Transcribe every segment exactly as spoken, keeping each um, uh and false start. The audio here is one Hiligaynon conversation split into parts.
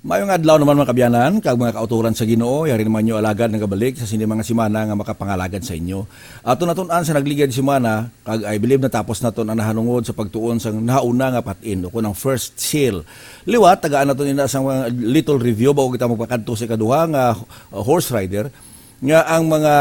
Maayong adlaw naman, mga kabyanan, kag mga kauturan sa Ginoo. Yari naman nyo alagad nagabalik sa sini mga semana nga makapangalagad sa inyo. Ato natun-an sa nagligad semana, kag I believe natapos naton ang nahanungod sa pagtuon sang nahauna nga patin, o kun ang first seal. Liwat, tagaan naton ina sang mga little review bago kita magpakadto sa ikaduha nga, uh, horse rider, nga ang mga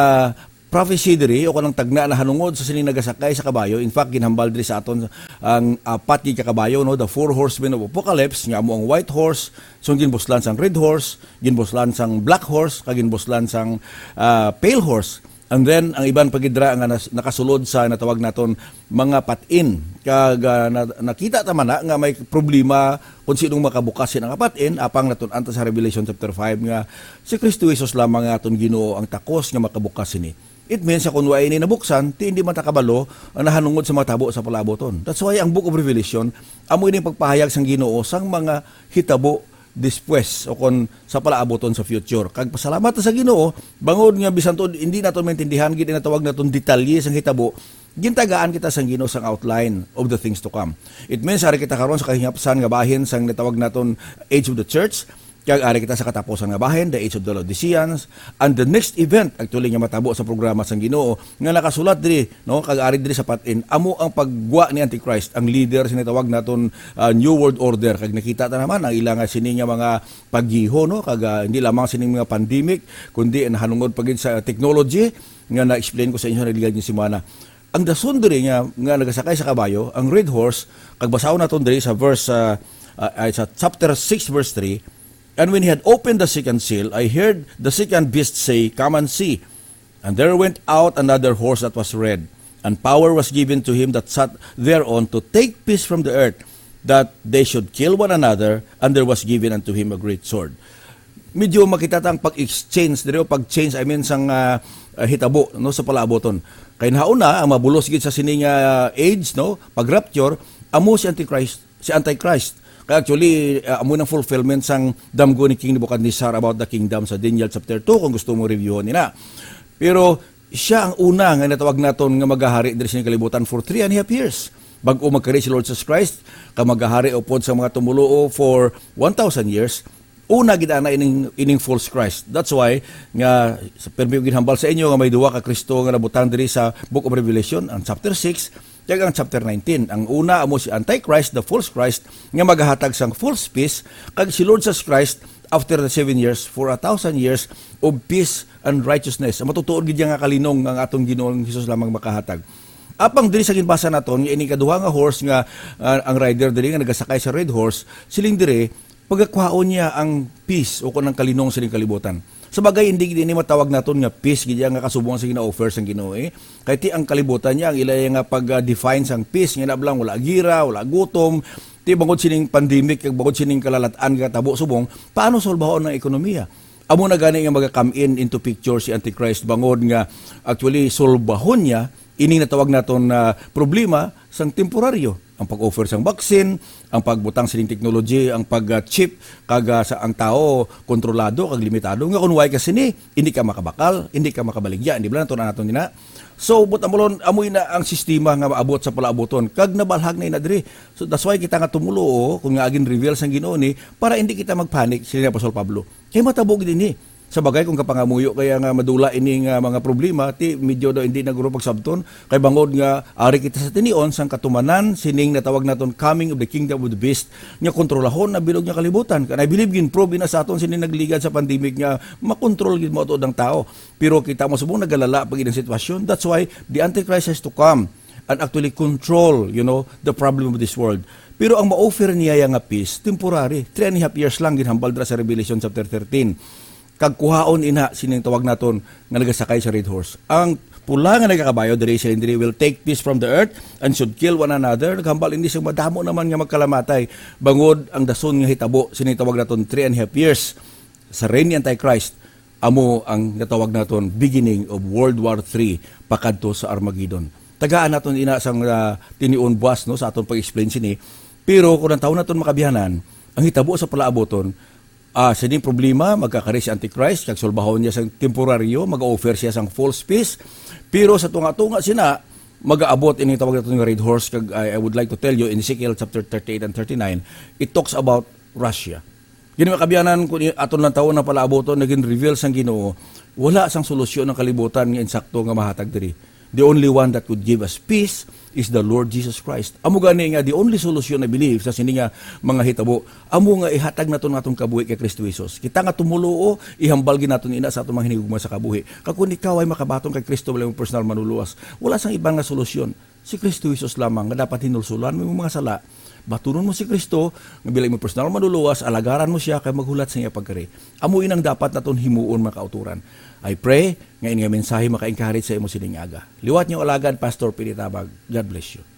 prophecy diri, o kanang tagna nahanungod sa sining nagasakay sa kabayo. In fact, ginhambal diri sa aton ang apat gid ka kabayo, no, the four horsemen of Apocalypse, nga amo ang white horse, sung ginbuslan sang red horse, ginbuslan sang black horse, kag ginbuslan sang, ah, pale horse. And then, ang iban pa gid ra nga nas-, nakasulod sa natawag naton mga patin. Kag, ah, na-, nakita ta man na nga may problema kung sinong makabukas sina nga patin, apang natun-an ta sa Revelation chapter five nga si Kristo Jesus lamang nga aton Ginoo ang takos nga makabukas sini. It means, sa kung wa ini nabuksan, ti hindi man ta kabalo ang nahanungod sa matabo sa palaabuton. That's why ang Book of Revelation, amo ini pagpahayag sang Ginoo sang mga hitabo despues, o kon sa palaabuton sa future. Kag pasalamat ta sa Ginoo, bangod nga bisan tuod hindi naton maintindihan gid ang natawag naton detalye sang hitabo, gintagaan kita sang Ginoo sang outline of the things to come. It means, ari kita karon sa kahingapsan nga bahin sang natawag naton Age of the Church, kag ari kita sa katapusan nga bahin, the Age of the Laodiceans, and the next event, actually, nga matabo sa programa sang Ginoo, nga nakasulat diri, no, kag ari diri sa patin, amo ang paggwa ni Antichrist, ang leader sa natawag naton, ah, New World Order. Kag nakita ta naman ang ila nga sini nga mga pagyiho, no, kag, ah, hindi lamang sining mga pandemic, kundi nahanungod pa gid sa technology nga na-explain ko sa inyo sa nagligad nga semana. Ang dason diri nga, nga nagasakay sa kabayo, ang red horse, kag basahon naton diri sa verse, ah, ah, ay, sa chapter six, verse three, "And when he had opened the second seal, I heard the second beast say, 'Come and see.' And there went out another horse that was red, and power was given to him that sat thereon to take peace from the earth, that they should kill one another, and there was given unto him a great sword." Medyo makita ta ang pag-exchange diri, o pag-change, I mean, sang, ah, ah, hitabo, no, sa palaabuton. Kay nahauna, ang mabulos gid sa sini nga age, no, pag-rapture, amo si Antichrist, si Antichrist. Kay actually, ah, amo nang fulfillment sang damgo ni King Nebuchadnezzar about the kingdom sa Daniel chapter two, kung gusto mo reviewon nila. Pero siya ang una nga natawag naton nga magahari diri sa kalibutan for three and a half years. Bag-o magkari si Lord Jesus Christ, ka magahari upod sa mga tumuluo for one thousand years, una gid ana ining, ining false Christ. That's why nga sa permi ko ginhambal sa inyo nga may duha ka Kristo nga nabutang diri sa Book of Revelation, ang chapter six, kag ang chapter nineteen. Ang una amo si Antichrist, the false Christ, nga magahatag sang false peace, kag si Lord Jesus Christ after the seven years, for a thousand years of peace and righteousness. Ang matutuod gid nga kalinong nga ang atong Ginoong Jesus lamang makahatag. Apang diri sa ginbasa naton, nga ini kaduha nga horse nga, ah, ang rider diri nga nagasakay sa red horse, siling diri, pagakuhaon niya ang peace o kung ang kalinong sa kalibutan. Sa bagay, hindi gid ini matawag naton nga peace gid nga kasubong sa gina-offer sang Ginoo, eh. Kay ti ang kalibutan niya, ang ila nga pag-define sang peace, nga nablang wala gira, wala gutom, ti bangod sining pandemic, kag bangod sining kalalat-an nga tabo subong, paano solbahon ang ekonomiya? Amo na gani nga maga-come in into picture si Antichrist, bangod nga actually solbahon niya ining natawag naton na problema sang temporaryo. Ang pag-offer sang vaccine, ang pagbutang sining technology, ang pag-chip, kag, ah, sa ang tawo kontrolado kag limitado. Nga kung way ka sini, hindi ka makabakal, hindi ka makabaligya, hindi ba naton naton ina? So, but amulon, amoy na ang sistema nga maabot sa palaabuton, kag nabalhag na ina diri. So, that's why kita nga tumulo, oh, kung nga agin reveal sang Ginoo ni, para hindi kita magpanic, sila ni Apostol Pablo. Kay matabo gid ini. Sa bagay, kung kapangamuyo kaya nga madula ini nga mga problema, ti medyo daw hindi na guro pagsabton. Kay bangod nga ari kita sa tinion sang katumanan sining natawag naton coming of the kingdom of the beast, nga kontrolahon na bilog nga kalibutan. Kan I believe gin-prove na sa aton sini nagligad sa pandemic nga makontrol gid mo ato ang tao. Pero kita mo subong nagalala pa gid ang sitwasyon. That's why the Antichrist has to come and actually control, you know, the problem of this world. Pero ang ma-offer niya ya nga peace, temporary. Three and a half years lang, ginhambal dira sa Revelation chapter thirteen. Kag kuhaon ina sining tawag naton nga nagasakay sa red horse. Ang pula nga nagakabayo diri, siling diri, "Will take peace from the earth and should kill one another." Naghambal ini sa madamo naman nga magkalamatay, bangod ang dason nga hitabo sining tawag naton three and a half years sa reign ni Antichrist. Amo ang natawag naton beginning of World War Three pakadto sa Armageddon. Tagaan naton ina sang, ah, tinion buwas, no, sa aton pag-explain sini. Pero kung ang tawo naton makabihanan, ang hitabo sa palaabuton, ah, sining problema, magkakari si Antichrist, kag sulbahon niya sang temporaryo, mag-offer siya sang false peace. Pero sa tunga-tunga sina, mag-aabot ining tawag naton nga red horse, kag I, I would like to tell you, in Ezekiel chapter thirty-eight and thirty-nine, it talks about Russia. Gani, mga kaabyanan, kung i-, aton lang tawon ang palaabuton, naging reveal sang Ginoo, wala sang solusyon ang kalibutan nga insakto nga mahatag diri. The only one that could give us peace is the Lord Jesus Christ. Amo gani nga the only solution, I believe, sa sini nga mga hitabo, amo nga ihatag naton nga atong kabuhi kay Kristo Jesus. Kita nga tumoluo, ihambal gid naton ina sa atong mga hinigugma sa kabuhi. Kag kung ikaw ay makabaton kay Kristo bilang imong personal manluluwas, wala sang iban nga solusyon. Si Kristo Jesus lamang nga dapat hinulsulan mo imong mga sala. Batunon mo si Kristo nga bilang imong personal manluluwas, alagaran mo siya kay maghulat sa iya pagkari. Amo inang dapat naton himuon, mga kauturan. I pray nga ini nga mensahe maka-encourage sa imo sining aga. Liwat niyo alagad, Pastor Pili Tabag. God bless you.